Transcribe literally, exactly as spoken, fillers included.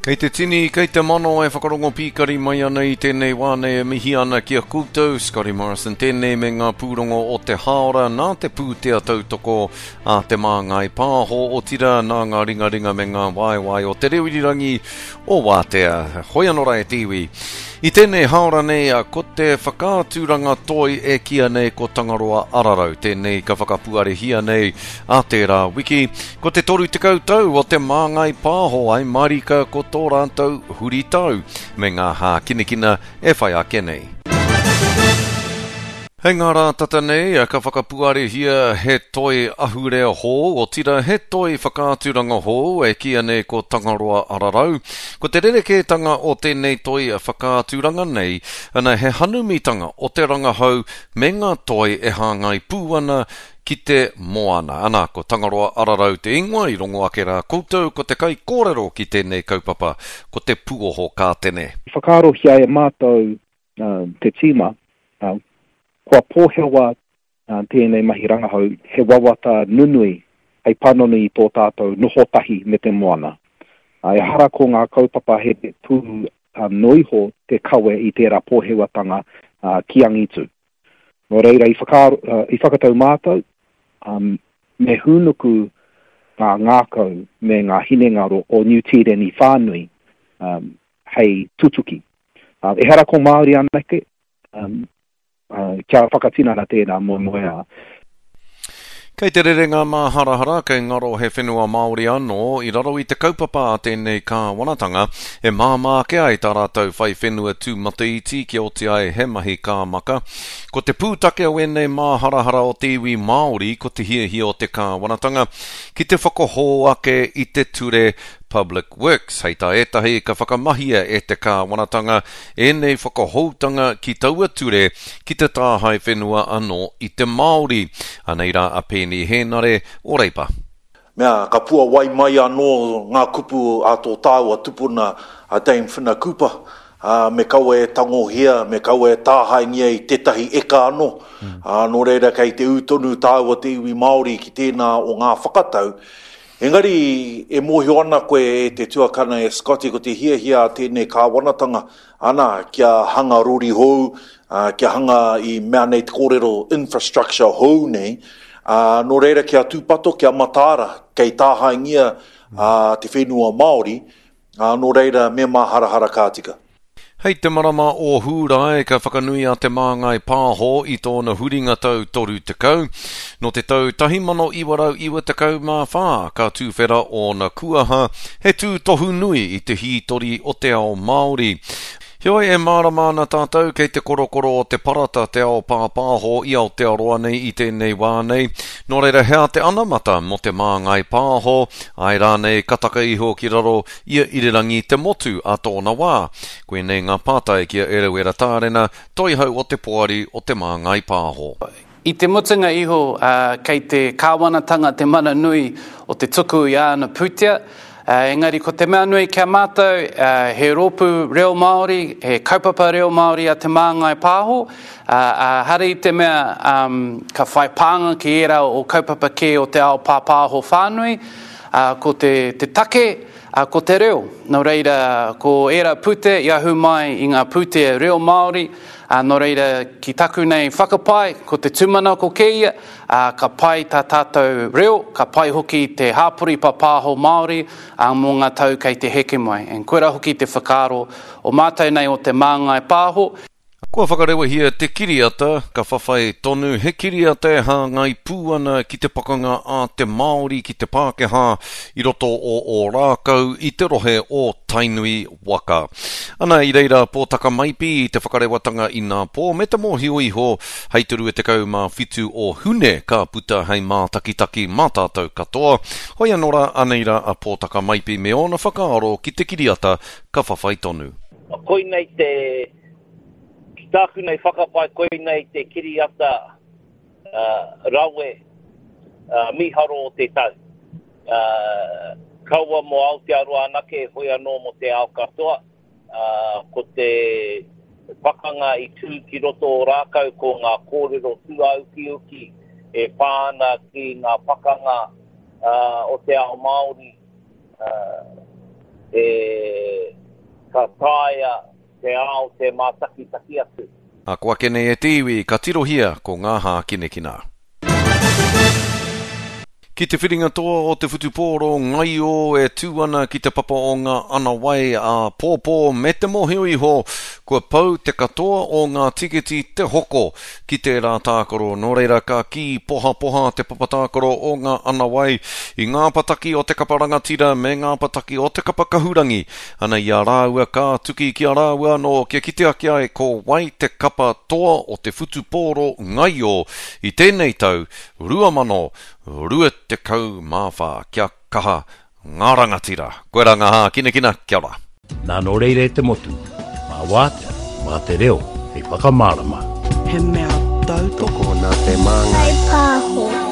Kei te tini, kei te mano e whakarongo pīkari mai ana i tēnei wā nei e mihi ana ki a koutou, Scotty Morrison tēnei me ngā pūrongo o te hāora nā te pūtea tautoko a Te Māngai Pāho, otirā nā ngā ringaringa me ngā waewae o te reo irirangi o Wātea. Hoi anō rā e te iwi. I tēnei hāora nei, ko te whakaaturanga toi e kīia nei ko Tangaroa Ararau, tēnei ka whakapuarehia nei a tērā wiki. Ko te toru tekau tau o Te Māngai Pāho ai marika ko tō rātou huritau me ngā hākinakina e whai ake nei. Hei ngā rā tata nei, ka whakapuarehia he toi ahurea hou, otirā he toi whakaaturanga hou e kīia nei ko Tangaroa Ararau. Ko te rerekētanga o tēnei toi whakaaturanga nei, ana he hanumitanga o te rangahau me ngā toi e hāngai pū ana ki te moana. Ana, ko Tangaroa Ararau te ingoa, i rongo ake rā koutou ko te kaikōrero ki tēnei kaupapa, ko te Puoho Kātene. I whakaarohia e mātou te tīma, kua pōhewa tēnei mahi rangahau, he wawata nunui hei panoni i tō tātou noho tahi me te moana. Ehara ko ngā kaupapa here pū noa iho te kawe i tērā pōhewatanga ki angitu. Nō reira, i whakaaro, i whakatau mātou, me hūnuku ngā ngākau me ngā hinengaro o Niu Tīreni whānui hei tutuki. Ehara ko Māori anake, kia whakatinana tēnā moemoeā. Kei te rere ngā māharahara, kei ngaro he whenua Māori anō i raro i te kaupapa a tēnei kāwanatanga e māmā ake ai tā rātou whai whenua tūmataiti kia oti ai he mahi kāmaka. Ko te pūtake o ēnei māharahara o te iwi Māori ko te hiahia o te kāwanatanga ki te whakahou ake i te ture Public Works. Hei tā ētahi ka whakamahia e te kāwanatanga ēnei whakahoutanga ki taua ture ki te tāhae whenua anō i te Māori. Anei rā a Peeni Hēnare o Reipa. Mea, ka puawai mai anō ngā kupu a tō tāua tupuna a Dame Whina Cooper, ā, me kaua e tangohia, me kaua e tāhaengia i tētahi eka anō. Ā, nō reira kei te ū tonu tāua te iwi Māori ki tēnā o ngā whakatau. Engari, e mōhio ana koe e te tuakana e Scotty ko te hiahia a tēnei kāwanatanga, ana, kia hanga rori hou, ā, kia hanga i mea nei te kōrero infrastructure hou nei, ā, nō reira kia tūpato, kia mataara, kei tāhaengia, ā, te whenua Māori, ā, nō reira me māharahara ka tika. Hei te marama o Hūrae ka whakanui a Te Māngai Pāho i tōna huringa tau toru tekau. Nō te tau tahi mano iwa rau iwa tekau mā whā ka tūwhera ōna kuaha, he tūtohu nui i te hītori o te ao Māori. Heoi, e mārama ana tātou kei te korokoro o te parata te ao pāpāho i Aotearoa nei i tēnei wā nei. Nō reira, hea te anamata mō Te Māngai Pāho, āe rānei ka taka iho ki raro i a Irirangi te motu a tōna wā? Koinei ngā pātai ki a Eruera Tārena, toihau o te poari o Te Māngai Pāho. I te mutunga iho, kei te kāwanatanga te mana nui o te tuku i āna pūtea, engari ko te mea nui ki a mātou, he rōpū reo Māori, he kaupapa reo Māori a Te Māngai Pāho, ā, hara i te mea ka whai pānga ki ērā o kaupapa kē o te ao pāpāho whānui, ko te, te take, ko te reo. Nō reira, ko ērā pūtea i ahu mai i ngā pūtea reo Māori, Ā, nō reira, ki taku nei whakapae, ko te tūmanako kē ia, ā, ka pai tā tātou reo, ka pai hoki te hāpori pāpāho Māori, ā, mō ngā tau kei te heke mai. And koirā hoki te whakaaro o mātou nei o Te Māngai Pāho. Kua whakarewahia te kiriata, ka whawhai tonu, he kiriata e hāngai pū ana ki te pakanga a te Māori ki te Pākehā i roto o Ōrākau i te rohe o Tainui waka. Ana i reira a Pōtaka Maipi i te whakarewatanga inapō me te mōhio iho hei te rua tekau mā whitu o Hune ka puta hei mātakitaki mā tātou katoa. Hoi anō rā, anei rā a Pōtaka Maipi me ōna whakaaro ki te kiriata ka whawhai tonu. Koinei te, ki tāku nei whakapae, koinei te kiriata rawe mīharo o te tau. Kaua mō Aotearoa anake, hoi anō mō te ao katoa. Ko te pakanga i tū ki roto o Rākau ko ngā kōrero tūāukiuki e pā ana ki ngā pakanga o te ao Māori e ka taea te ao te mātakitaki atu. Ako ake nei e te iwi, ka tirohia ko ngā hākinakina. Ki te whiringa toa o te whutupōro ngaio e tū ana ki te papa o ngā anawai a pōpō me te mōhio iho kua pau te katoa o ngā tiketi te hoko ki tērā tākaro. Nō reira ka kī pohapoha te papa tākaro o ngā anawai i ngā pataki o te kapa rangatira me ngā pataki o te kapa kahurangi. Ana i a rāua ka tuki ki a rāua anō kia kite ake ai ko wai te kapa toa o te whutupōro ngaio i tēnei tau rua mano rua tekau mā whā. Kia kaha ngā rangatira. Koe rā ngā hākinakina, kia ora. Nā nō reira e te motu, mā wātea, mā te reo, hei whakamārama. He mea tautoko nā te māngai. Pāho.